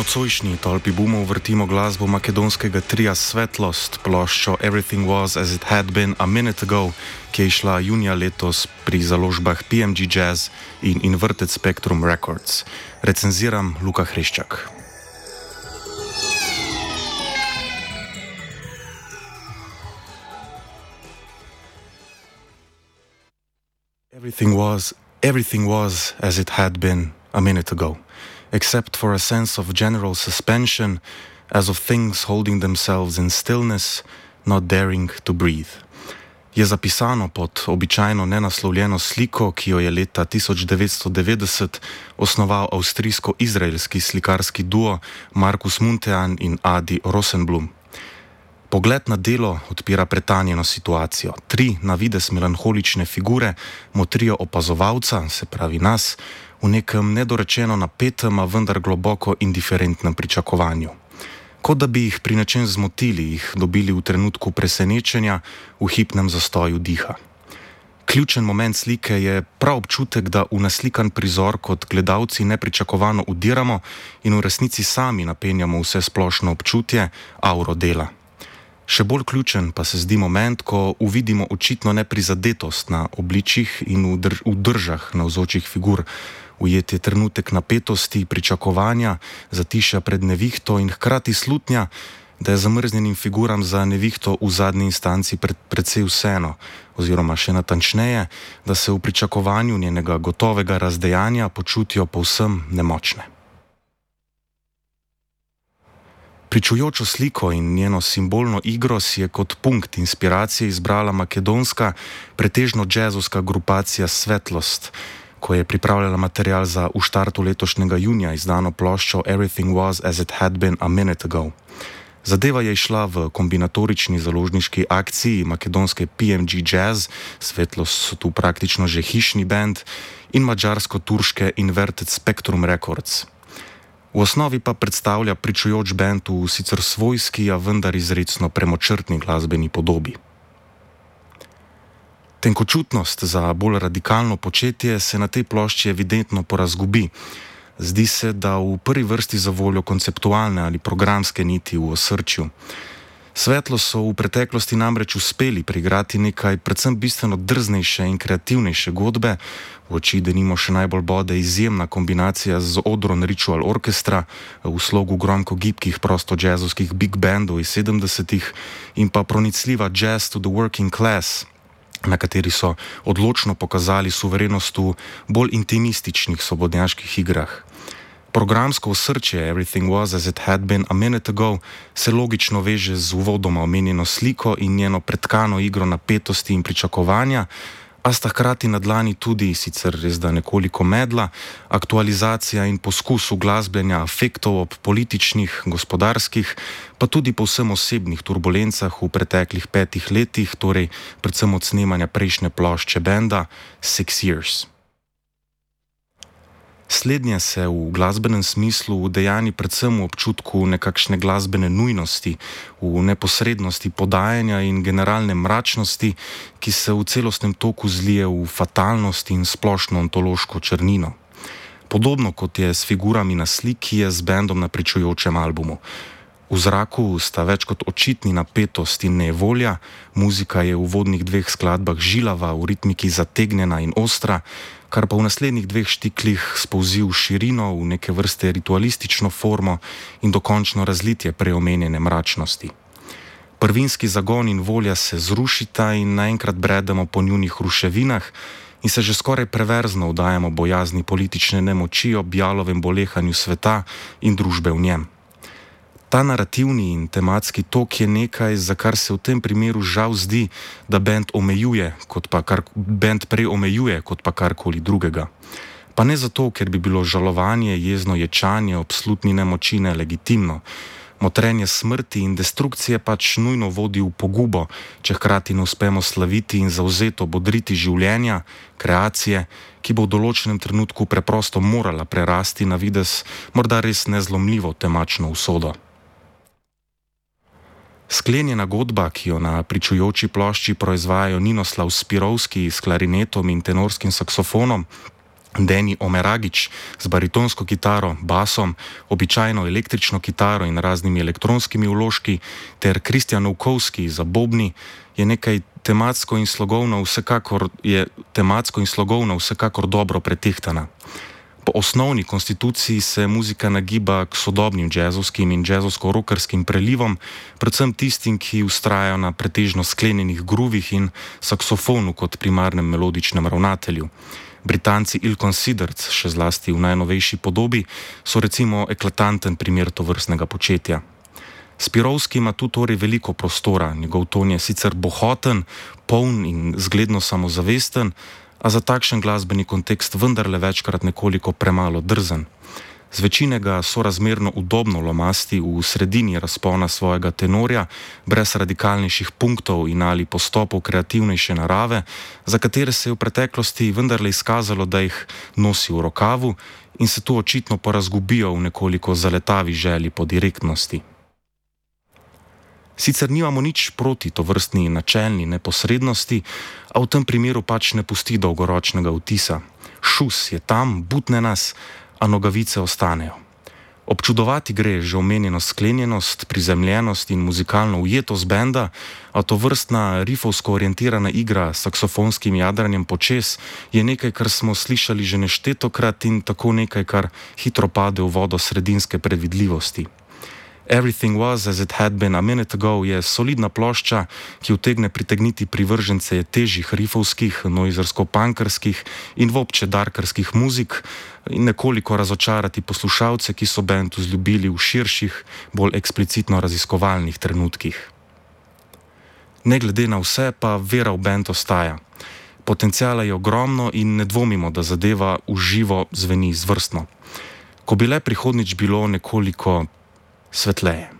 nocojšnji tolpi bumov vrtimo glasbo makedonskega tria Svetlost, ploščo Everything Was As It Had Been a Minute Ago, ki je išla junija letos pri založbah PMG Jazz in Inverted Spectrum Records. Recenziram Luka Hreščak. Everything was as it had been a minute ago, except for a sense of general suspension, as of things holding themselves in stillness, not daring to breathe. Je zapisano pod običajno nenaslovljeno sliko, ki jo je leta 1990 osnoval avstrijsko-izraelski slikarski duo Markus Muntean in Adi Rosenblum. Pogled na delo odpira pretanjeno situacijo. Tri na videz melanholične figure motrijo opazovalca, se pravi nas, v nekem nedorečeno napetem, a vendar globoko indiferentnem pričakovanju. Kot da bi jih pri nečem zmotili, jih dobili v trenutku presenečenja, v hipnem zastoju diha. Ključen moment slike je prav občutek, da v naslikan prizor kot gledalci nepričakovano udiramo in v resnici sami napenjamo vse splošno občutje, auro dela. Še bolj ključen pa se zdi moment, ko uvidimo očitno neprizadetost na obličjih in v držah navzočih figur. Ujet je trenutek napetosti, pričakovanja, zatišja pred nevihto in hkrati slutnja, da je zamrznjenim figuram za nevihto v zadnji instanci precej vseeno, oziroma še natančneje, da se v pričakovanju njenega gotovega razdejanja počutijo povsem nemočne. Pričujočo sliko in njeno simbolno igro si je kot punkt inspiracije izbrala makedonska, pretežno džezovska grupacija Svetlost, ko je pripravljala material za v štartu letošnjega junija izdano ploščo Everything Was As It Had Been a Minute Ago. Zadeva je išla v kombinatorični založniški akciji makedonske PMG Jazz, Svetlost so tu praktično že hišni band, in mađarsko-turške Inverted Spectrum Records. V osnovi pa predstavlja pričujoč band v sicer svojski, a vendar izrecno premočrtni glasbeni podobi. Tenkočutnost za bolj radikalno početje se na tej plošči evidentno porazgubi. Zdi se, da v prvi vrsti za voljo konceptualne ali programske niti v osrčju. Svetlo so v preteklosti namreč uspeli priigrati nekaj predvsem bistveno drznejše in kreativnejše godbe, v oči denimo še najbolj bode izjemna kombinacija z Odron Ritual Orchestra v slogu gromko gibkih prosto džezovskih big bandov iz 70-ih in pa pronicljiva Jazz to the Working Class, na kateri so odločno pokazali suverenost v bolj intimističnih svobodnjaških igrah. Programsko osrčje Everything Was As It Had Been a Minute Ago se logično veže z uvodoma omenjeno sliko in njeno pretkano igro napetosti in pričakovanja, a sta hkrati na dlani tudi, sicer res da nekoliko medla, aktualizacija in poskus uglasbljenja afektov ob političnih, gospodarskih, pa tudi povsem osebnih turbulencah v preteklih 5 letih, torej predvsem od snemanja prejšnje plošče benda 6 Years. Slednje se v glasbenem smislu udejani predvsem v občutku nekakšne glasbene nujnosti, v neposrednosti podajanja in generalne mračnosti, ki se v celostnem toku zlije v fatalnost in splošno ontološko črnino. Podobno kot je s figurami na sliki, je z bendom na pričujočem albumu. V zraku sta več kot očitni napetost in nevolja, muzika je v uvodnih 2 skladbah žilava, v ritmiki zategnjena in ostra, kar pa v naslednjih 2 štiklih spolzi v širino, v neke vrste ritualistično formo in dokončno razlitje preomenjene mračnosti. Prvinski zagon in volja se zrušita in naenkrat bredemo po njunih ruševinah in se že skoraj preverzno vdajamo bojazni politične nemoči ob jalovem bolehanju sveta in družbe v njem. Ta narativni in tematski tok je nekaj, za kar se v tem primeru žal zdi, da bend prej omejuje kot pa karkoli drugega. Pa ne zato, ker bi bilo žalovanje, jezno ječanje ob slutni nemoči nelegitimno. Motrenje smrti in destrukcije pač nujno vodi v pogubo, če hkrati ne uspemo slaviti in zavzeto bodriti življenja, kreacije, ki bo v določenem trenutku preprosto morala prerasti na videz morda res nezlomljivo temačno usodo. Sklenjena godba, ki jo na pričujoči plošči proizvajajo Ninoslav Spirovski s klarinetom in tenorskim saksofonom, Deni Omeragič z baritonsko kitaro, basom, običajno električno kitaro in raznimi elektronskimi vložki, ter Kristjan Novkovski za bobni, je tematsko in slogovno vsekakor dobro pretehtana. Po osnovni konstituciji se muzika nagiba k sodobnim džezovskim in džezovsko-rokerskim prelivom, predvsem tistim, ki vztrajajo na pretežno sklenjenih gruvih in saksofonu kot primarnem melodičnem ravnatelju. Britanci Ill Considered, še zlasti v najnovejši podobi, so recimo eklatanten primer tovrstnega početja. Spirovski ima tu torej veliko prostora, njegov ton je sicer bohoten, poln in zgledno samozavesten, a za takšen glasbeni kontekst vendarle večkrat nekoliko premalo drzen. Z večinega sorazmerno udobno lomasti v sredini razpona svojega tenorja, brez radikalnejših punktov in ali postopov kreativnejše narave, za katere se je v preteklosti vendarle izkazalo, da jih nosi v rokavu in se tu očitno porazgubijo v nekoliko zaletavi želji po direktnosti. Sicer nimamo nič proti tovrstni načelni neposrednosti, a v tem primeru pač ne pusti dolgoročnega vtisa. Šus je tam, butne nas, a nogavice ostanejo. Občudovati gre že omenjeno sklenjenost, prizemljenost in muzikalno ujetost benda, a tovrstna rifovsko orientirana igra s saksofonskim jadranjem počez je nekaj, kar smo slišali že neštetokrat in tako nekaj, kar hitro pade v vodo sredinske predvidljivosti. Everything Was As It Had Been a Minute Ago je solidna plošča, ki utegne pritegniti privržence težjih rifovskih, noizersko-punkerskih in vobče darkerskih muzik in nekoliko razočarati poslušalce, ki so bend vzljubili v širših, bolj eksplicitno raziskovalnih trenutkih. Ne glede na vse pa vera v bend ostaja. Potenciala je ogromno in ne dvomimo, da zadeva v živo zveni izvrstno. Ko bi le prihodnjič bilo nekoliko svetleje.